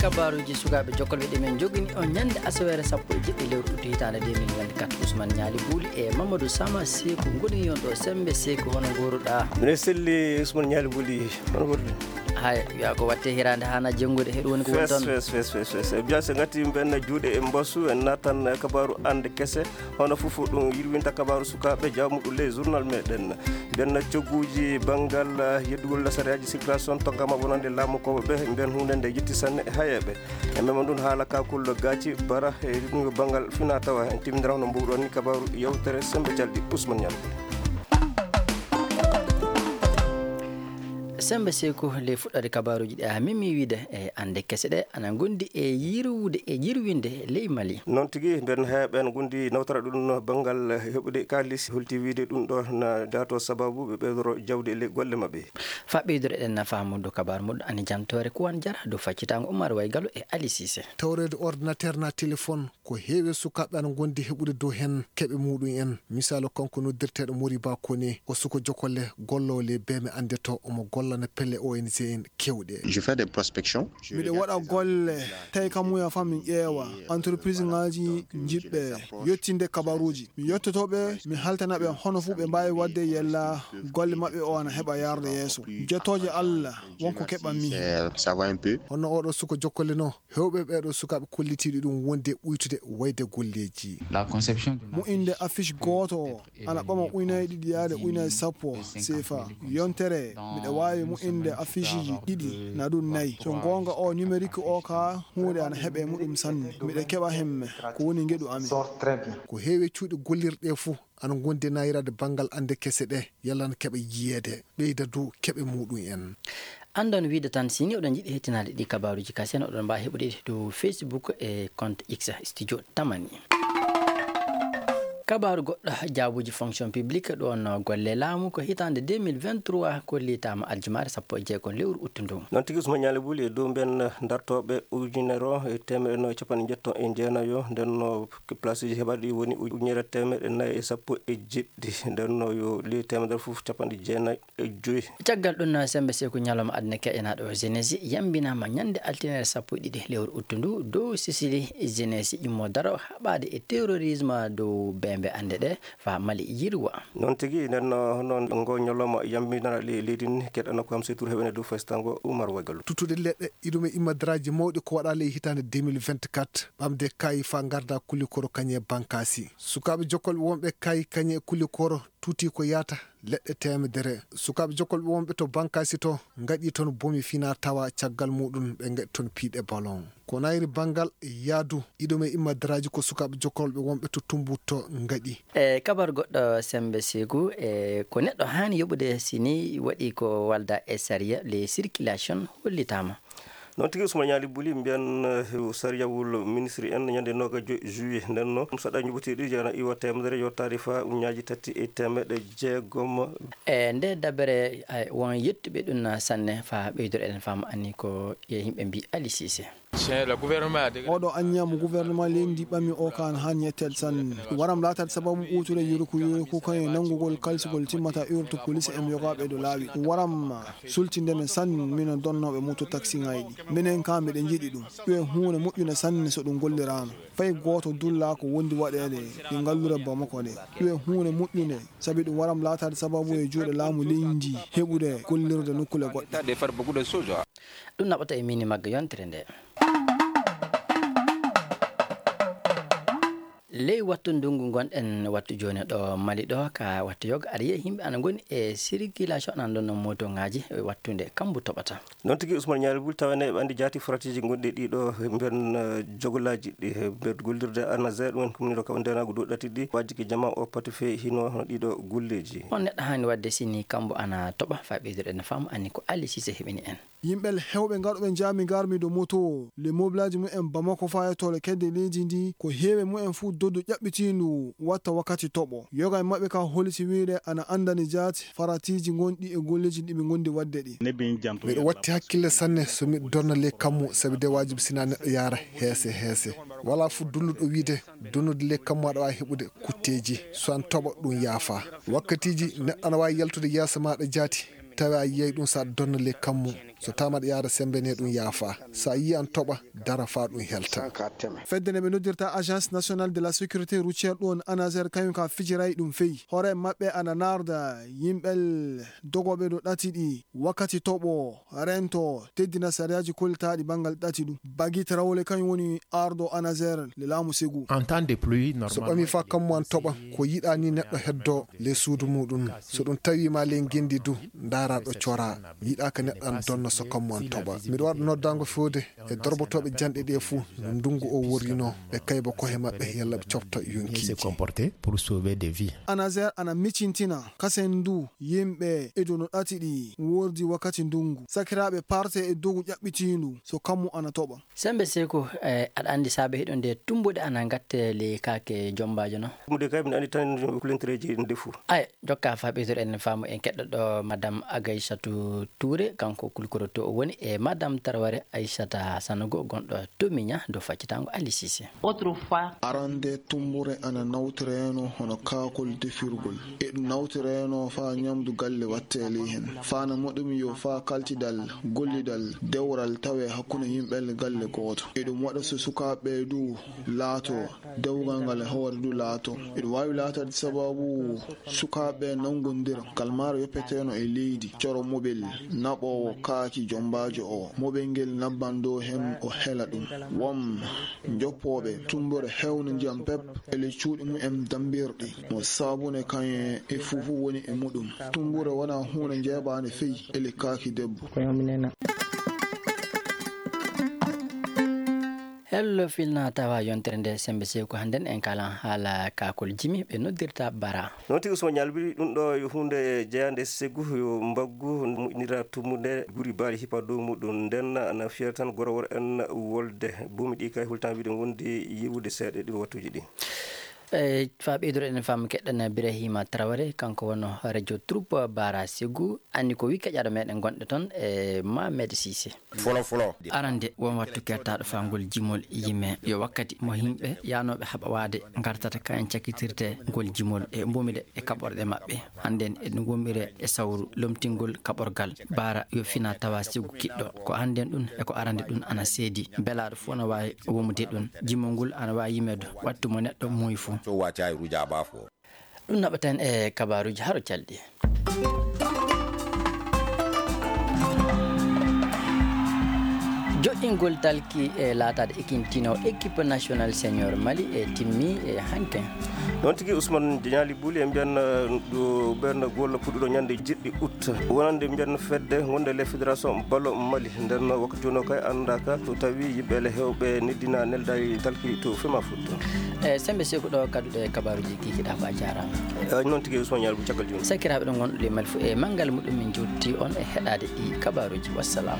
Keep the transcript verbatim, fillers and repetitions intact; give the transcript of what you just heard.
Kabaaruuji sukaaɓe jokkolɓe ɗi min njogini on ñande asaweere sappo e jeɗɗi lewru utu hitaande deux mille vingt-quatre. Ousmane Ñaali Buuli e Mamadou Sama Seeku ngoni yon ɗo. Sembe Seeku, hono ngooruɗaa? Mine selli Ousmane Ñaali Buuli, hono ngooruɗaa? Hay, wiya ko watte hiraande haana jenngude, heɗo woni ko woni toon. Fes, fes, fes, fes, fes. Biya se ngati mben juuɗe e mbasu, en naatan kabaaru ande kese. Hono fof ɗum yirwinta kabaaru sukaaɓe jawmuɗo ley journal meɗen. Mben cogguuji banngal, eh, yeddugol lasariyaaji circulation to ngama wonande laamukooɓe ɓe, mben huunde nde yetti sanne e hayeeɓe. E mema ndun haala kakul gaaci bara e ɗum yo banngal fina tawa en timmindira hono mbuɗon ni kabaaru yewtere Sembe Calɗi Ousmane Ñaŋ. Sembe Seeku, ley fuɗɗoode kabaaruuji ɗi a memi wiide e ande kese ɗe ana ngondi e yirwude e yirwinde ley Mali. Noon tigi, mben heɓen ngondi nawtara ɗum no banngal heɓude kaalis, holti wiide ɗum ɗo na dato sababu ɓe ɓeydoro jawdi e ley golle maɓɓe. Fa ɓeydoro eɗen na faamude kabaaru muɗum ani jantoore Kuwan Jara dow faccitaango Umar Waygalo e Ali Sise. Tawreede ordinateur na téléphone, ko heewi sukaaɓe ana ngondi heɓude dow heen keɓe muɗum en. Misaalu, kanko noddirteeɗo Moriba Kone, o suko jokolle golloowo ley beeme annde to, omo gollana pelle O N G en keewɗe. Je fais des prospections. Miɗo waɗa golle, tawi kam muya fam min ƴeewa entreprise ŋaaji jiɗɓe yettinde kabaruuji. Mi yettoto ɓe, mi haltana ɓe hono fuu ɓe mbaawi waɗde yella golle maɓɓe o ana heɓa yaarde yeeso. Jettooje Allah, won ko keɓanmi. Ça va un peu. Hono oɗo suko jokkole no, heewɓe ɓeeɗo sukaaɓe kollitiiɗo ɗum wonde ɓuytude wayde golleeji. La conception de Mo'inde affiche gooto o ana ɓama ujunaaji ɗiɗi yaade ujunaaji sappo seefa. Yontere, miɗo waawi mo'inde afficheji ɗiɗi, na ɗum nayi. So goonga o numérique o ka, huunde ana heɓe muɗum sanne. Miɗo keɓa hemme, ko woni ngeɗu amin. Ko heewi cuuɗi gollirɗe fof ana ngondi nayrade banngal ande kese ɗe, yalla na keɓa yiyeede, ɓeyda dow keɓe muɗum en. Anndon wiide tan, si ni oɗon njiɗi hettinaade ɗi kabaaruuji kasen, oɗon mbaawi heɓude ɗi dow Facebook e compte X, Studio Tamani. Kabaaru goɗɗo, jaabuuji fonction publique, ɗoon golle laamu ko hitaande deux mille vingt-trois kollitaama aljumaare sappo e jeego lewru uttu ndu. Noon tigi, Ousmane Ñaali Buli e dow mben dartooɓe ujunere o e teemedde nayi e capanɗe njetto e jeenayo, nden no placeji heɓaɗi woni ujunere teemedde nayi e sappo e jeɗɗi, nden no yo ley teemedere fof capanɗe jeenayi e joyi. Caggal ɗum, Sembe Seeku, ñalawma aduna keƴanaaɗo o jeunesse yambinaama ñande altine sappo e ɗiɗi lewru uttu ndu dow sisili jeunesse immo daro haɓaade e terrorisme dow beembe annde ɗe faa Mali yirwa. Noon tigi, nden no, noon ngo ñalawma yambinana le-, leydi ndi, keɗana ko am seytour heɓene dow faystango Oumar Wagalou. Tuttude leɗɗe, iɗum e immadaraaji mawɗi ko waɗaa ley hitaande deux mille vingt-quatre, ɓamde kaayi faa ngarda Kulikoro kañe Bankaasi. Sukaaɓe jokkolɓe wonɓe kaayi kañe Kulikoro tuti ko yaata leɗɗe teemedere. Sukaaɓe jokkolɓe wonɓe to Bankaasi to ngaɗi toon bomi fina tawa caggal muɗum ɓe ngaɗi toon piiɗe ballon. Ko nayri banngal yaadu iɗum e immadaraaji ko sukaaɓe jokkolɓe wonɓe to Tumbuttu ngaɗi. E kabar goɗɗo, Sembe Seeku, e ko neɗɗo haani yoɓude si ni waɗi ko walda e sariya, les circulation hollitaama. Noon tigi, Ousmane Ñaali Buli, mbiyan, eh, sariyawol ministre en ñande noogajo juillet. Nden noon, saɗa ñuɓotiiɗi jana iwa teemedere yo taarifa uñaaji tati e teemeɗɗe jeegom. E nde dabere, ay, won yettuɓe ɗum na sanne faa ɓeydoro eɗen faama anni ko e yimɓe mbi Ali Sise. Oɗo anniya mo gouvernement leydi ndi ɓami o kaan haan yetteede sanne. Waram laataade sababu ɓuutude yurku yurku kañum nanngugol kalsugol timmata urte police en yogaaɓe dow laawi. Waram sultinde men sanne minen donnooɓe moto taxiŋaaji ɗi. Minen kaa miɗen njiɗi ɗum. Ɗum e huunde moƴƴunde sanne so ɗum golliraama. Fay gooto dullaa ko wondi waɗeede e ngalluure Bamako nde. Ɗum e huunde moƴƴunde, sabi ɗum waram laataade sababu e juuɗe laamu leydi ndi heɓude gollirde nokkuule goɗɗe. Ɗum naɓata e mini magga yontere nde. Ley wattu ndunngu ngonɗen wattu jooni ɗo Mali ɗo, ka wattu yoga, aɗa yiya yimɓe ana ngoni e circulation, ana ndonna motoŋaaji e wattu nde kambu toɓata. Noon tigi, Ousmane Ñaali Bul, tawa ne ɓe anndi jaati faratiiji gonɗi ɗiɗo mben, eh, jogolaaji ɗi, eh, mben gollirde A N A Z, ɗum en kumniɗo kaɓa ndenaagu dow ɗati ɗi, waajiki jama o pati fey hino hono ɗiɗo golleeji. On neɗɗo haani waɗde si ni kambu ana toɓa, faa ɓeyduɗen faamu anni ko Ali Sise heɓini en. Yimɓe heewɓe ngarɗuɓe njaami ngarmi dow moto, le mobilaaji mumen Bamako faa yettoore kedde leydi ndi, ko heewi mumen fuu doddu ƴaɓɓitiindu watta wakkati toɓo. Yoga e maɓɓe ka holliti wiide ana anndani jaati faratiiji gonɗi e golleeji ɗi ɓe ngondi waɗde ɗi. Miɗo watti hakkille sanne so miɗo donna ley kammu, sabi de waajibi sina neɗɗo yaara heese heese. Walaa fuu dulluɗo wiide donnude ley kammu aɗa waawi heɓude kutteeji. So an toɓo ɗum yaafaa. Wakkatiiji neɗɗo ana waawi yaltude yeeso maaɗa jaati, Tawi a yiyay ɗum so a donna ley kammu. So tawama aɗa yaada sembe ne ɗum yaafa. So a yii an toɓa, dara faa ɗum helta. Fedde nde ɓe noddirta Agence Nationale de la Sécurité Routière ɗum, ANASER, kañum ka fijiray ɗum feyi. Hoore maɓɓe ana naarda yimɓel dogooɓe ɗo ɗati ɗi wakkati toɓo rento teddina sariyaaji kollitaaɗi banngal ɗati ɗum. Bagi Tarawole kañum woni arɗo ANASER le laamu Segu. En temps de pluie, so ɓami faa kammu an toɓa, ko yiɗaa ni neɗɗo heddo ley suudu muɗum. So ɗum tawi ma ley ngenndi du, ndaara ɗo cora. Yiɗaa ka neɗɗo an donna so kammu an toɓa. Miɗo waɗa noddaango fewde e dorbotooɓe janɗe ɗe fuu no ndungu o worrino, ɓe kayba kohe maɓɓe yalla ɓe cofta yonkiiji. Pour sauver des vies. ANASER ana micintina kasen ndu yimɓe e dow no ɗati ɗi wordi wakkati ndungu. Sakiraaɓe parte e dogu ƴaɓɓitiindu so kammu ana toɓa. Sembe Seeku, eh, aɗa anndi saabe hiɗo nde tumbuɗe ana ngatte ley kaake jombaajo no? Tumbuɗe kay, miɗo anndi tan ko kulentereeji ndefu. Ay, jokka faa ɓeydoɗen faamu en keɗɗoɗo Madame Agaysatu Touré, kanko kulkoroto o woni e Madame Taraware Aysata Sanogo, gonɗo to Miña, dow faccitango Ali Sise. Autrefois. Arande tumbure ana nawtireno hono kaakol defirgol. E ɗum nawtireno faa ñamdu galle watte ley hen. Faa na moɗumi yo faa kaltidal, gollidal, dewral tawe hakkunde yimɓe galle gooto. E ɗum waɗa so sukaaɓe du laato, dewgal ngal e hoore du laato. Eɗum waawi laatade sababu sukaaɓe nanngondira. Kalmaaro yoppeteno e leydi, coro mobel, naɓoowo kaaki jombaajo o. Mobel ngel nabban dow hem o hela ɗum. Won joppooɓe tumbure hewna ndiyam pep, ele cuuɗi mumen dambirɗi. Mo saabune kañe e fufu woni e muɗum. Tumbure wona huunde njeeɓaande fey, ele kaaki debbo. Hello, filna tawa yontere nde Sembe Seeku, hannden en kalan haala kaakol jimi ɓe noddirta bara. Noon tigi, Usman Ñalbiri, ɗum ɗo yo huunde jeyaande Segu, yo mbaggu moƴƴinira tumbude guri baali hipa dow muɗum. Nden na fiyata tan goro wor en wolde. Buumi ɗi kay hultan wiide ngondi yiwude seeɗa ɗi wattuuji ɗi. E faa ɓeydoro enen faamu keɗɗen Birahima Traoré, kanko wonno radio troupe Bara Segu, anni ko wi keƴaɗo meɗen gonɗe toon e Mohamed Cissé. Folo, folo. Arande, won wattu kertaɗo faa ngol jimol yime. Yo wakkati mo yimɓe yaanooɓe haɓa waade ngartata kayen cakitirte ngol jimol e mbomiɗe e kaɓorɗe maɓɓe. Hannden eɗen ngommire e sawru lomtingol kaɓorgal. Bara yo fina tawa Segu kiɗɗo. Ko hannden ɗum e ko arande ɗum ana seedi. Belaaɗo fof no waawi womude ɗum. Jimol ngol ana waawi yimeede wattu mo neɗɗo muuyi fof. So waccaay ruja ba fof. Ɗum naɓaten e kabaaruuji haro calɗi. Joɗɗingol talki e laataade ekintino équipe nationale senior Mali e timmi e hanke. Noon tigi, Ousmane Diagnali Bouli, en mbiyan, uh, ɗo ɓernde golla puɗɗuɗo ñande jeɗɗi août. Wonande mbiyan fedde gonde les fédération ballon Mali. Nden wakkati wonno kay anndaaka so tawi yimɓe ele hewɓe neddina neldaari talki to Fema Foot. E Sembe Seku ɗo kadduɗe kabaaruuji kikiɗa ko a jaaraama. E noon tigi Ousmane Ñalbu caggal jooni. Sakiraaɓe ɗon wonɗo e Mali fof e manngal muɗum min jotti on e heɗaade ɗi kabaaruuji. Wassalam.